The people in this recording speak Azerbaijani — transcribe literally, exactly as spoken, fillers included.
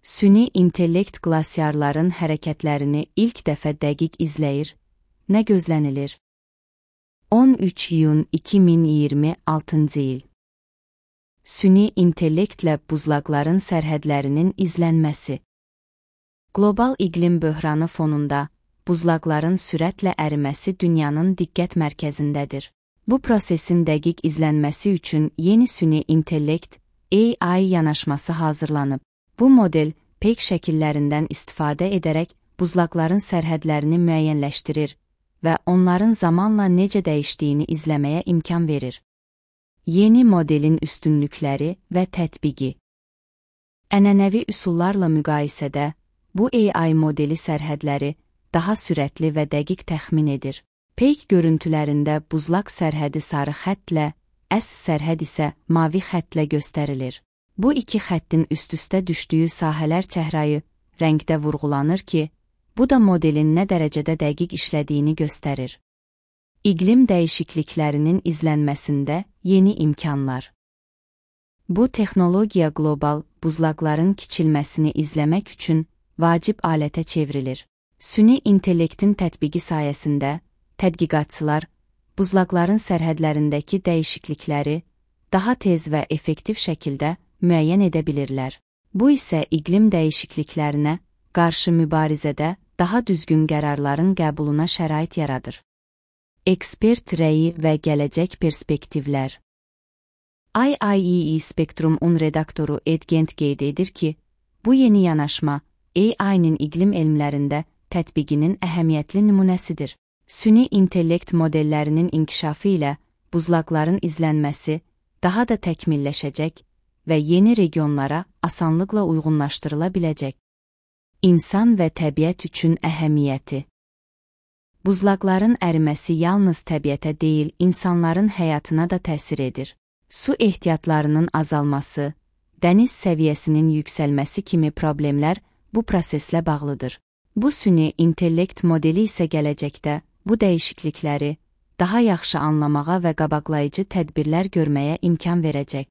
Süni intellekt qlasiarların hərəkətlərini ilk dəfə dəqiq izləyir. Nə gözlənilir? on üç iyun iki min iyirmi altıncı il. Süni intellektlə buzlaqların sərhədlərinin izlənməsi. Qlobal iqlim böhranı fonunda buzlaqların sürətlə əriməsi dünyanın diqqət mərkəzindədir. Bu prosesin dəqiq izlənməsi üçün yeni süni intellekt A I yanaşması hazırlanıb. Bu model peyk şəkillərindən istifadə edərək buzlaqların sərhədlərini müəyyənləşdirir və onların zamanla necə dəyişdiyini izləməyə imkan verir. Yeni modelin üstünlükləri və tətbiqi. Ənənəvi üsullarla müqayisədə bu A I modeli sərhədləri daha sürətli və dəqiq təxmin edir. Peyk görüntülərində buzlaq sərhədi sarı xəttlə, əsl sərhəd isə mavi xəttlə göstərilir. Bu iki xəttin üst-üstə düşdüyü sahələr çəhrayı rəngdə vurğulanır ki, bu da modelin nə dərəcədə dəqiq işlədiyini göstərir. İqlim dəyişikliklərinin izlənməsində yeni imkanlar. Bu texnologiya qlobal buzlaqların kiçilməsini izləmək üçün vacib alətə çevrilir. Süni intellektin tətbiqi sayəsində tədqiqatçılar buzlaqların sərhədlərindəki dəyişiklikləri daha tez və effektiv şəkildə müəyyən edə bilirlər. Bu isə iqlim dəyişikliklərinə qarşı mübarizədə daha düzgün qərarların qəbuluna şərait yaradır. Ekspert rəyi və gələcək perspektivlər. I I E E Spectrum-un redaktoru Ed Gent qeyd edir ki, bu yeni yanaşma A I-nin iqlim elmlərində tətbiqinin əhəmiyyətli nümunəsidir. Süni intellekt modellərinin inkişafı ilə buzlaqların izlənməsi daha da təkmilləşəcək və yeni regionlara asanlıqla uyğunlaşdırıla biləcək. İnsan və təbiət üçün əhəmiyyəti. Buzlaqların əriməsi yalnız təbiətə deyil, insanların həyatına da təsir edir. Su ehtiyatlarının azalması, dəniz səviyyəsinin yüksəlməsi kimi problemlər bu proseslə bağlıdır. Bu süni intellekt modeli isə gələcəkdə bu dəyişiklikləri daha yaxşı anlamağa və qabaqlayıcı tədbirlər görməyə imkan verəcək.